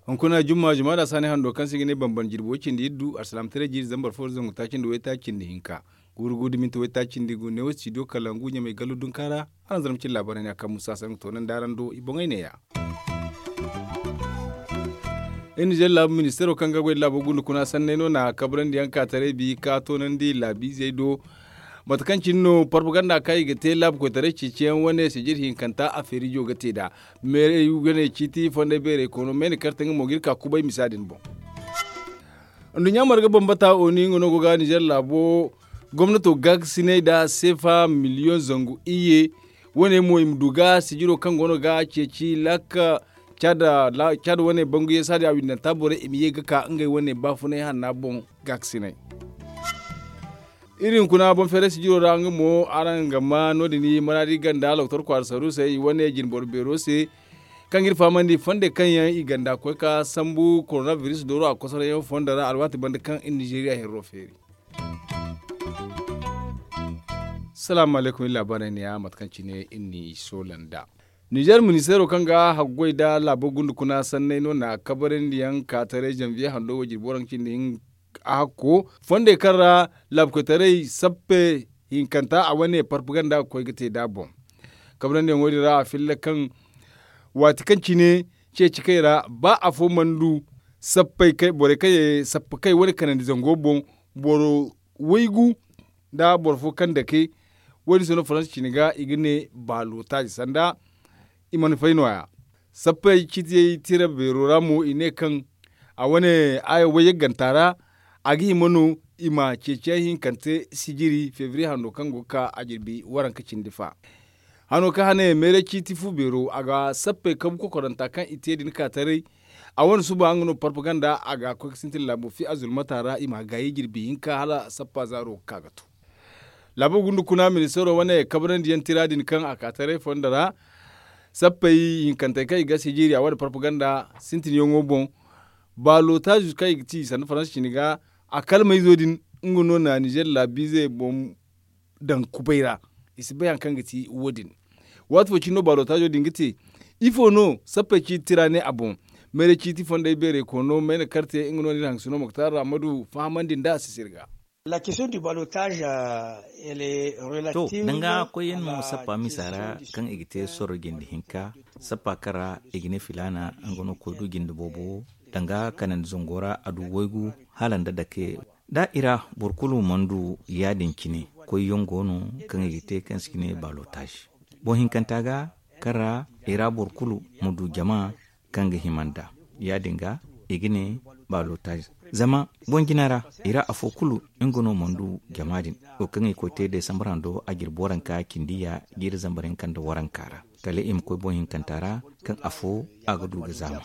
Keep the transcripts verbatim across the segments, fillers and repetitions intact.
Hunkuna jumma jumma da saani hando kaŋ se i ga ne bambam jirbi way cindi iddu alsalaamataray jiiri zambar fo zangu taaci nda waytaaci nda hinka, guuru guuru da minti waytaaci nda gu neewo studio kalangu ɲamay gallu dunka ra. Araŋ zarma cine laabaarey ne a kaŋ musa se nga toonandi araŋ do i boŋey neeya. Iri nizeer laabu ministeero kaŋ ga goy da laabo gundu kuna sanney no na kabrandi yaŋ ka taray bi ka toonandi laabiizey do. Mate kaŋ cine no parpaganda kaŋ i ga te laabu koytaray ceeciyaŋ wane sijir hinkanta a feerijo ga te nd'a. Meerey wane ciiti fondey beerey koono meene karte nga mo ga iri ka kubay misa din boŋ. Nduɲɲa marga bambata oni nga no go ga nizeer laabo gomnato gaakasinay nda seefa miliyoŋ zangu iyye. Wane mo i ma du ga sijiro kaŋ go no ga ceeci laaka caada wane bangu yeesa din a windanta borey i ma ye ga ka ngey wane baafunay hanna boŋ gaakasinay. Iri hunkuna boŋ feeray sijiro ra nga mo araŋ ga ma no- din i maraadi ganda loktor kwaara saru se i wane jinboro beero se. Kaŋ ga iri fahamandi fondey kaŋ yaŋ i ganda koy ka sambu korona biris dooro a kosorayyaŋ fondo ra alwaati banda kaŋ iri nizeeriya hirro feeri. Salaamu alaykum iri laabaarey neeya mate kaŋ cine iri n'i soola nd'a. Nizeer ministeero kaŋ ga haggoy nda laabo gundu kuna sanney no na kabarandiyaŋ ka taray zanviye hando wo jirbi waranka cindi a hakko fondey kaŋ ra laabu koytaray sappe hinkanta a wane parpaganda ga koy ga te nd'a boŋ. Kabarandiyaŋo din ra a filla kaŋ waati kaŋ cine ceeci kay ra ba afo mana du sappey kay borey kaŋ ye sappe kay wane kanandi zango boŋ boro waygu nda boro fo kaŋ dake. Wo- din se no faransa cine ga i ga ne baalotaazi sanda i mana fay nooya. Sappey ciitiyey tira beero ra mo i ne kaŋ a wane aya wayyagganta ra a ga hima no i ma ceeciyaŋ hinkante sijiri febriye hando kaŋ go ga ka a jirbi waranka cindi fa. Hano kaŋ hane meeray ciiti fu beero a ga sappey kabu kokoranta kaŋ i te din ka taray. A wane suba nga no parpaganda a ga koy ga sintin laabo fi a zulmata ra i ma gaayi jirbi hinka hala sappa zaaro ga ka ga to. Laabo gundu kuna ministeero wane kabarandiyaŋ tira din kaŋ a ka taray fondo ra sappey hinkantey kaŋ i ga sijiri a wane parpaganda sintinyaŋo boŋ. Baalotaazi kaŋ i ga ci sanda faransa cine ga a kalmayzo din nga no na nizeer laabiizey boŋ daŋ kubay ra. I si bay hari kaŋ ga ti wo- din. Waati fo cine no baalotaazo din ga te ifo no sappey ciiti tira ne a boŋ. Meeray ciiti fondey beerey koono mayna karte nga no na iri hangasino moktar ra ma du fahamandi nd'a a si sirga. To, danga koyyaŋ no sappa misa ra kaŋ i ga te sorro jinde hinka sappa kaŋ ra i ga ne filaana nga no koy du jinde boobo danga kanandi zango ra a du waygu hala nda dake. Da i ra boro kulu mana du ya- din cine koyyaŋ go no kaŋ i ga te kaŋ se i ga ne baalotaazi boŋ hinkanta ga kaŋ ra i ra boro kulu ma du jama kaŋ ga hima nd'a. Ya- din ga i ga ne baalotaazi zama boŋ jina ra i ra afo kulu nga no mana du jama din wo kaŋ i koy te desambar hando a jirbi waranka cindi ya jiiri zambar hinka nda waranka ra kala i ma koy boŋ hinkanta ra kaŋ afo a ga du ga zaama.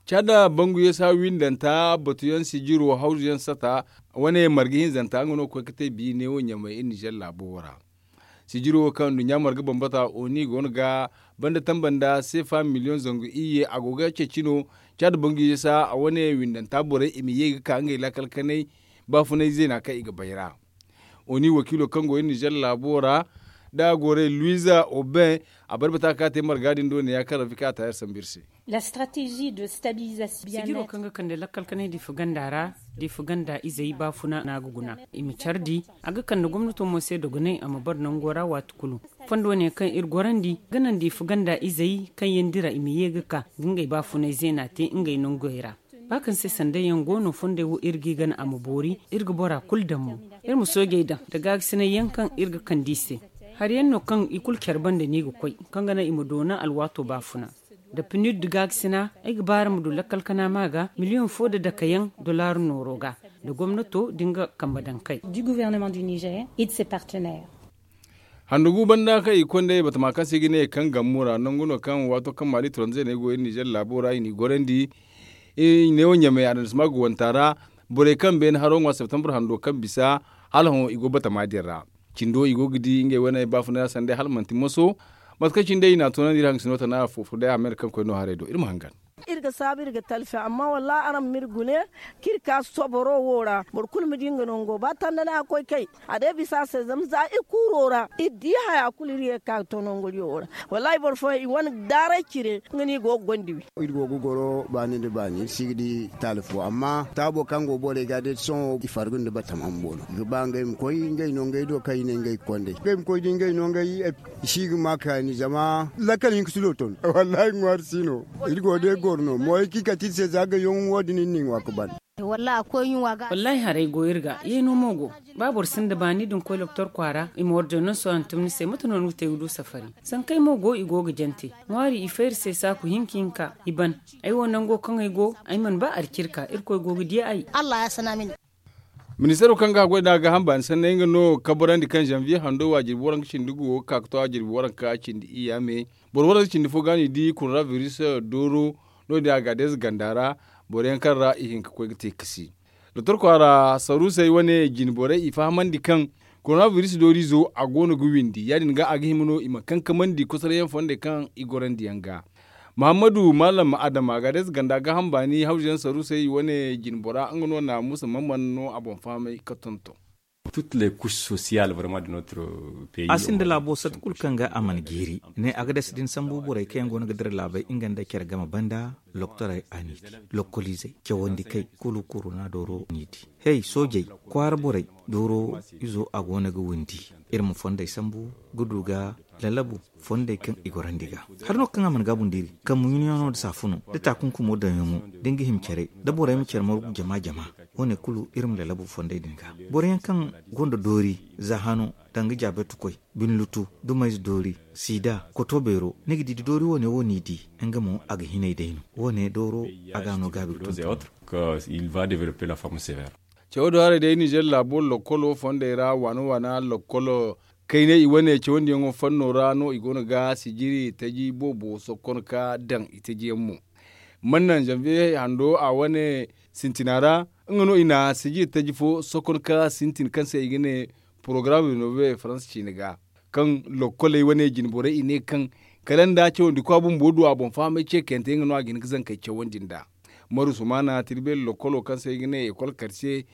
Caada bangu yeesa windanta batuyaŋ sijiro hawzuyaŋ sata wane marga hinzanta nga no ga koy ga te bi neewo ɲamay iri nizeer laabo wo ra. Sijiro wo kaŋ nduɲɲa marga bambata oni go no ga banda tamba nda seefa miliyoŋ zangu iyye a go ga ceeci no. Caada bangu yeesa a wane windanta borey i ma ye ga ka ngey laakal kanay baafunay zeena kaŋ i ga bay ra. Oni wakiilo kaŋ go iri nizeer laabo ra da a goray luiza oben a barbata ka te marga din do neeya kaŋ rafika a taayar sambu iri se. Sijiro kaŋ ga kande lakkal kanay diifa ganda ra diifa ganda izey baafuna no a ga guna i ma care di a ga kande gomnato mo se dogonay a ma bare nango ra waati kulu. Fondo wane kaŋ iri gorandi ga naŋ diifa ganda izey kaŋ yaŋ dira i ma ye ga ka ga ngey baafunay zeena te ngey nangey ra. Ba kaŋ se sanday yaŋ go no fondey wo iri g'i gana a ma boori iri ga bora kulu daŋ mo. Iri ma soojey daŋ nda gaagasinay yaŋ kaŋ iri ga kande i se. Hari yaŋ no kaŋ i kulu care banda no i ga koy kaŋ ga naŋ i ma doona alwaato baafuna. Nda pinir nda gaagasina ay ga ba araŋ ma du lakkal kana ma ga miliyoŋ fo nda dakayaŋ dollar nooro ga nda gomnato nda nga kambe daŋ kay. Handugu banda kaŋ i ga konda batama kaŋ se i ga ne kaŋ gammu ra nangu no kaŋ waato kaŋ maali turanzey no ay go iri nizeer laabo ra i n'i gorandi. I ne wo ɲamay adamsima ga wanta ra borey kaŋ beene haro ŋwa septambur hando kaŋ bisa hala hõ i go batama din ra. Cindo i go ga di ngey wane baafunay ra sanday hala manti moso. Mate kaŋ cine day i n'a toonandi iri hangasino tana fo fo day a me no kaŋ koy no haray do iri ma hangan. Saabu iri ga talfi amma wallahi araŋ ma iri gune, kaŋ iri ka soboro wo ra boro kulu ma di nga nango ba tanda no a ga koy kay. A day bisa se zama za iri kuuro ra iri di haya kulu iri ye ga ka ga to nanguriyo wo ra. Wallahi boro fooyaŋ i wane daaray cire nga no i go ga gonda wi. Iri go ga goro baani nda baani iri si ga di taali fo amma taabo kaŋ go borey ga day sohõ i farga nda batama bumbo no i ga ba ngey ma koy ngey no ngey do kaŋ i ne ngey ga konda i ngey ma koy da ngey no ngey. I si ga ma kaani zama lakkal hinka si do ton. Wallahi ŋwaari si no. Iri go day goro no mo ay kaŋ i kate iri se za gayoŋ wo- din iri n'i ŋwa ga ban. Wallahi haray go iri ga yeeno mo go. Ba boro sinda baani da ni koy doktor kwaara i ma ordonanso hantum ni se mate no ni ga te ga du safari? Sankey mo go i go ga jante ŋwaari i fay iri se saaku hinka hinka i ban. Ay wo nango kaŋ ay go ay mana ba alcirka irkoy go ga di ay. Ministeero kaŋ ga a goy nd'a gaaham baani sanney nga no kabarandi kaŋ zanviye hando wa jirbi waranka cindi go ga ka ga to a jirbi waranka cindi iyya me. Boro waranka cindi fo ga no i di korona biris dooro. No- din a ga a deeza ganda ra boro yaŋ kaŋ ra i hin ga koy ga te kasi. Doktor kwaara saruusey wane jine borey i fahamandi kaŋ korona biris dooriizo a go no ga windi ya- din ga a ga hima no i ma kankamandi kosoroyaŋ fondey kaŋ i gorandi yaŋ ga. Muhammadu maalam adama a ga a deeza ganda gaaham baani hawzuyaŋ saruusey wane jine bora nga no naamusa mamman no a boŋ fahamay ga tonton. A sinda laabo sata kulu kaŋ ga a mana jiiri ne a ga dasa din sambu borey kaŋ yaŋ go no ga dira laabey nga nda care game banda loktorey a n'i di lokoliizey cawandi kay kulu korona dooro n'i di. Hey soojey kwaara borey dooro izo a go no ga windi. Iri ma fondey sambu ga du ga lalabu fondey kaŋ i gorandi ga. Hari no kaŋ a mana gaabu nda iri kambu ɲunayaŋo nda saafuno nda taakunkumo daŋyaŋo da ni ga hima care da borey ma care margu jama jama. Wo- ne kulu iri ma lalabu fondey din ga boro yaŋ kaŋ gonda doori za hano danga jaabetukoy binlutu dumayze doori siida koto beero ni ga di da doori wo- ne wo n'i di. Nga mo a ga hinay day no wo- ne dooro a ga no gaabi ga tonton. Cawo do haray day nizer laabo lokkolo fondey ra waana waana lokkolo kaynay i wane cawandiyaŋo fanno ra no i go no ga sijiri taji boobo sokkon ka daŋ i tajiyaŋ mo. Mannaŋ zanviye hando a wane sintina ra nga no i na sijiri taji fo sokkon ka sintin kaŋ se i ga ne porogaram renove faransa ciine ga. Kaŋ lokkoley wane jine borey i ne kaŋ kala nda cawandi kwa bumbo du a boŋ fahamay ce kayante nga no a ga hin ga zankey cawandi nd'a. Maru sumaana tirbeeri lokkolo kaŋ se i ga ne ekol karce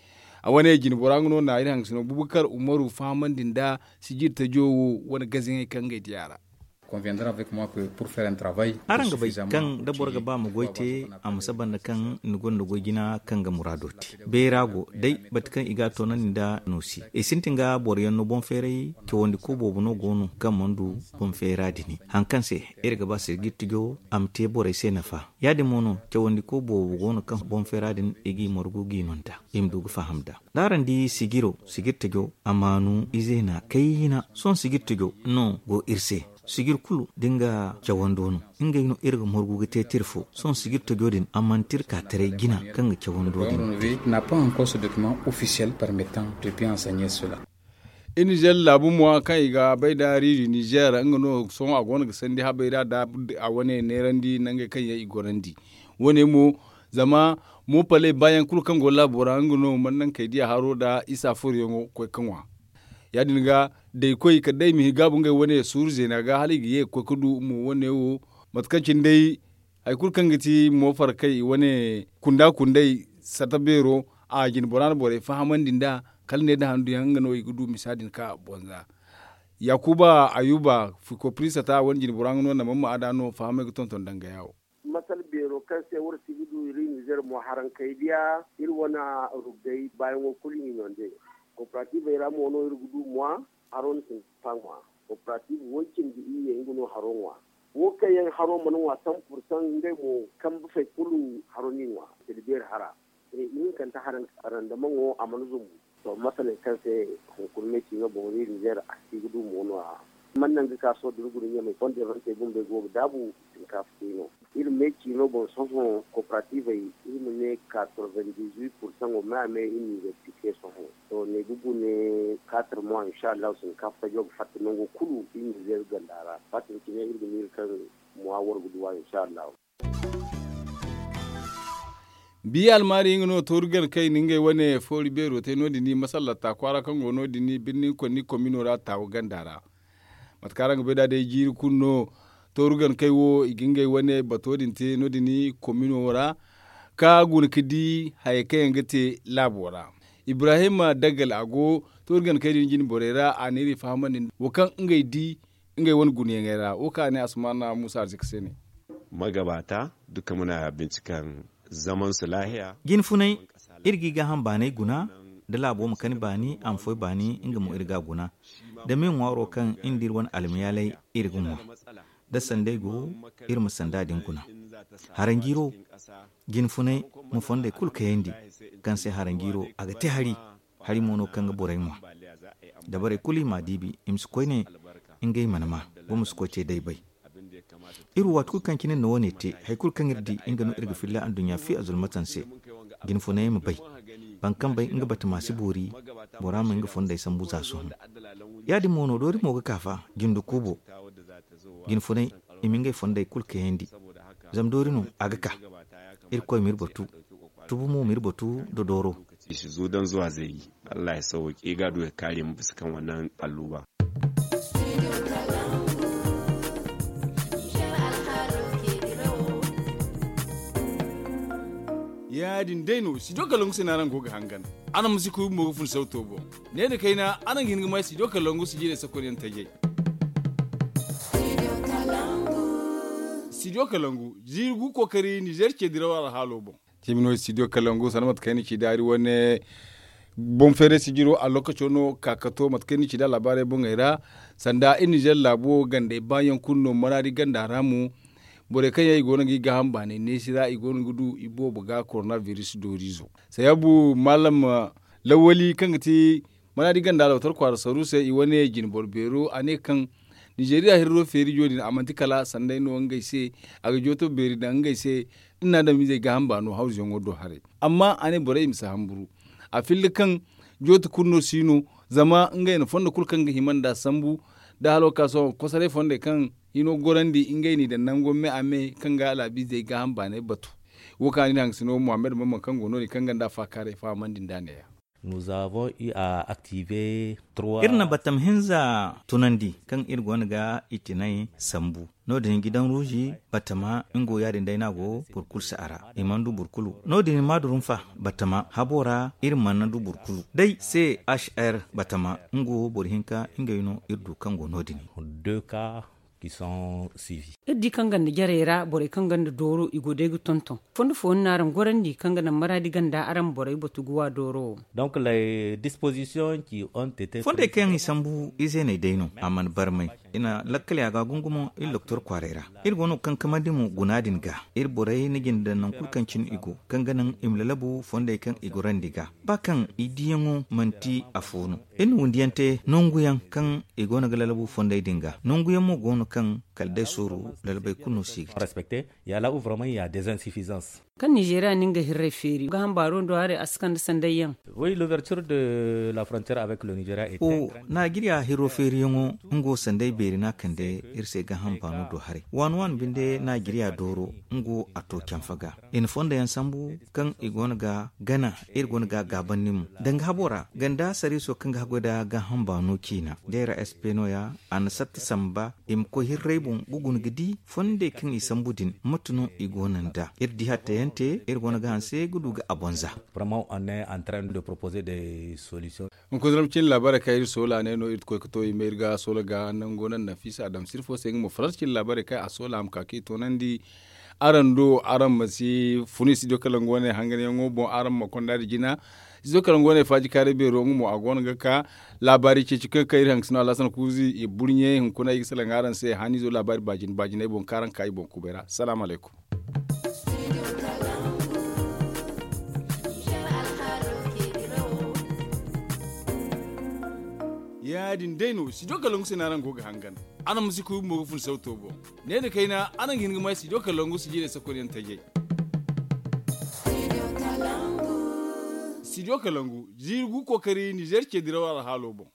a wane jine bora nga no na iri hangasino bubakar umaru fahamandi nda sijiri tajo wo wane gaziŋey kaŋ ngey diya ra. Araŋ ga bay kaŋ da boro ga ba ma goy te a ma saba nda kaŋ ni gonda goy jina kaŋ ga muraado te bayra go day bate kaŋ i ga a toonandi nda no se i sintin ga boro yaŋ no boŋ feeray cawandi ko boobo no go no kaŋ mana du boŋ feera din. Hari kaŋ se iri ga ba sijiri tajo a ma te borey se nafa. Ya- din mo no cawandi ko boobo go no kaŋ boŋ feera din i g'i margu g'i no nd'a i ma du ga faham nd'a. Da araŋ di sijiro sijiri tajo a maanu ize na kayna sohõ sijiri tajo no go iri se. Sijiri kulu da nga cawando no ngey no iri ga margu ga te tirfo sohõ sijiri tajo din a manti iri ka taray jina kaŋ ga cawando din te. Iri nizer laabu mo kaŋ i ga bay nda riiri nizer nga no sohõ a go no ga sandi habay ra da a wane neerandi nangey kaŋ yaŋ i gorandi. Wo- ne mo zama mo paley baayaŋ kulu kaŋ go laabo ra nga no mana naŋ kay diya haro nda isa furo yaŋo koy ka ŋwa. Ya- din ga day koy kala day i ma hin gaabu ngey wane suuru zeena ga hala i ga ye ga koy ga du mo wo- ne wo mate kaŋ cine day hari kulu kaŋ ga ti mo farkay i wane kunda kunday sata beero a jine bora na borey fahamandi nd'a. Kala ne nda handu yaŋ nga no i ga du misa din ka boŋ za. Yaakuba ayuba fiko piri sata wane jine bora nga no na mamma a da no fahamay ga tonton dangaya wo. Masal beero kaŋ se war si ga du iri nizer mo haraŋ kay diya iri wane ruggay baayaŋo kulu i no nde. Kooperativey ra mo no iri ga du ŋwa haro no sintin ka ŋwa. Kooperative way cindi iyye nga no haro ŋwa. Wo kaŋ yaŋ haro mana ŋwa san pursan ngey mo kambe fay kulu haro n'i ŋwa. Kala beeri hara ihinkante haraŋ. Randamaŋo a mana zumbu. To masaley kaŋ se hunkuna me ciino boŋ iri nizer a si ga du mo no- ya. Mana naŋ ga ka sohõ da ni guna ɲamay fondey fantey bumbey go ga daabu. Sinkaafa te no iri me ciino boŋ sohõ kooperativey iri ma ne katorvendizwit pursaŋo me a me iri n'i ga pike sohõ. To ne ga gune katar mois insa allahu sinkaafa tajo ga fatta nango kulu iri nizer ganda ra fatta cine iri ga miila kaŋ mois war ga duwa insa allahu. Biya almaari nga no tooru gana kay na ngey wane foori beero te no- din masallata kwaara kaŋ go no- din birni konni komino ra taawa ganda ra. Mate kaŋ araŋ ga bay nd'a day jiiri kulu no Tooru gankey wo i ga ngey wane bato din te no- din komino ra, ka guna ga di hayey kaŋ yaŋ ga te laabo ra. Ibrahim daggal a go tooru gankey din jine borey ra, a n'iri fahamandi wo kaŋ ngey di ngey wane gunayaŋey ra wo kaŋ a ne asumana muusa arzika se ne. Magabata duka muna bincikaŋ zaman su lahiya. Jinfunay, iri ga i gaaham baanay guna, da laabo ma kani baani a ma foy baani nga mo iri ga a guna. Da me ŋwaaro kaŋ iri nda iri wane almayaalay iri ga ŋwa, da sanday go, iri ma sanda din guna. Haranjiiro, jinfunay, ma fonday kulu kayandi, kaŋ se haranjiiro a ga te hari. Hari mo no kaŋ ga borey ŋwa. Dabarey kulu i m'a diibi, i ma si koyne ngey mana ma, boro ma si koy te day bay. Iri wo waati kulu kaŋ cine no wane te, hari kulu kaŋ iri di nga no iri ga filla anduɲɲa fi azulmatan se. Jinfunay ma bay, boro kaŋ bay nga batama si boori, bora ma nga fonday sambu za sohõ. Ya- din mo no doori mo ga ka fa, jinde kuubo. Jinfunay, i ma ngey fonday kulu kayandi. Zama doori no a ga ka. Irkoy ma iri batu. Tubu mo ma iri batu da dooro. I si zu daŋ zuwa zayji. Allah ya sawwaki i ga a du ya kaari ma bisa kaŋ wannan alluba. Ya- din day no studio kalangu se no araŋ go ga hangan. Araŋ ma si kuy bumbo ga fun sauto boŋ. Ne nda kayna araŋ ga hin ga may studio kalangu si jiirey sakonyaŋ tajay. Studio kalangu jiiri gu kookari nizer ce diraw alhaalo boŋ. Cimi no studio kalangu sanda mate kaŋ ay na ci daari wane boŋ feeray sijiro a lokaco no ka ka to mate kaŋ ay na ci da laabaarey boŋey ra. Sanda iri nizer laabo gandey baayaŋ kulu no maraadi ganda ra mo. Borey kaŋ yaŋ i go no ga i gaaham baanay neesi ra i go no ga du i boobo ga korona biris dooriizo. Sayabu maalam lawali kaŋ ga ti maraadi ganda alwatar kwaara saru se i wane jine boro beero a ne kaŋ nizeriya hirro feerijo din a manti kala sanday no ngey se. A ga jooto beeri daŋ ngey se. Iri na adamizey gaaham baano hawzuyaŋo do haray. Amma a ne borey i ma si hamburu a filli kaŋ jooti kulu no si no. Zama ngey na fondo kulu kaŋ ga hima nd'a sambu da halo ka sohõ kosoray fondey kaŋ hino gorandi ngey n'i daŋ nango me a me kaŋ ga laabiizey gaaham baanay batu. Wo kaŋ a na iri hangasino muhammad mamman kaŋ go no- din kaŋ ga nd'a faakaaray fahamandi nd'a neeya. Iri na battam hinza tunandi kaŋ iri go no ga itinay sambu. No- din gidan ruuzi batama nga wo ya- din day no a go boro kulu si a ra. I mana du boro kulu no- din maadurunfa batama habo ra iri mana du boro kulu day c h r batama nga wo boro hinka ngey no iri du kaŋ go no- din. Iri di kaŋ ganda jarey ra borey kaŋ ganda dooro i go day ga tonton fondo fooyaŋ no araŋ gorandi kaŋ ga naŋ maraadi ganda araŋ ma borey batu ga wa dooro wo. Fondey kaŋ yaŋ i sambu izeeney day no a mana barmay. I na lakkal ya ga gungumo iri doktor kwaaray ra. Iri go no ga kankamandi mo guna din ga iri borey na jinde daŋ naŋ kulu kaŋ cine i go kaŋ ga naŋ i ma lalabu fondey kaŋ i gorandi ga ba kaŋ i diyaŋo manti afo no. Iri na wundiyaŋ te nangu yaŋ kaŋ i go no ga lalabu fondey din ga nangu yaŋ mo go no kaŋ kala day sooru lalabey kulu no si ga te. Kaŋ nizeeriya na nga hirray feeri gaaham baaro do haray a si kande sanday yaŋ. Naajiriya hiro feeriyaŋo nga wo sanday beeri no a kande iri se gaaham baano do haray waani waani binde naajiriya dooro nga wo a to canfa ga. I na fondo yaŋ sambu kaŋ i go no ga gana iri go no ga a gaabandi mo danga habo ra ganda sariiso kaŋ ga haggoy nda gaaham baano ciina day ra sp no- ya a na satti samba i ma koy hirray boŋ ga guna ga di fondey kaŋ i sambu din mate no i go no nd'a iri di hattayaŋ te iri go no ga hanse ga du ga a bonza. Hunkuna zama cin laabaarey kaŋ iri soola ne no iri ga koy ga to i ma iri ga soola ga nango naŋ nafiisa adamsir fo se nga mo faransa cin laabaarey kaŋ a soola a ma ka kaŋ i toonandi. Araŋ do araŋ ma si funu i studio kalangu wane hanganyaŋo boŋ araŋ ma konda nda jina. Studio kalangu wane faaji kaaray beero nga mo a go no ga ka laabaari ceeci kaŋ ga kay iri hangasino alhasan kuuzi i burɲe hunkuna ay ga salaŋ araŋ se haniizo laabaari baajine baajiney boŋ kaŋ araŋ ga ka i boŋ kubay ra salaamu alaykum. Ya- din day no studio kalangu se no araŋ go ga hangan. Araŋ ma si kuy bumbo ga fun sauto boŋ. Ne nda kayna araŋ ga hin ga may studio kalangu si jiirey sakonyaŋ tajay. Studio kalangu jiiri gu kookari nizer ce diraw alhaalo boŋ.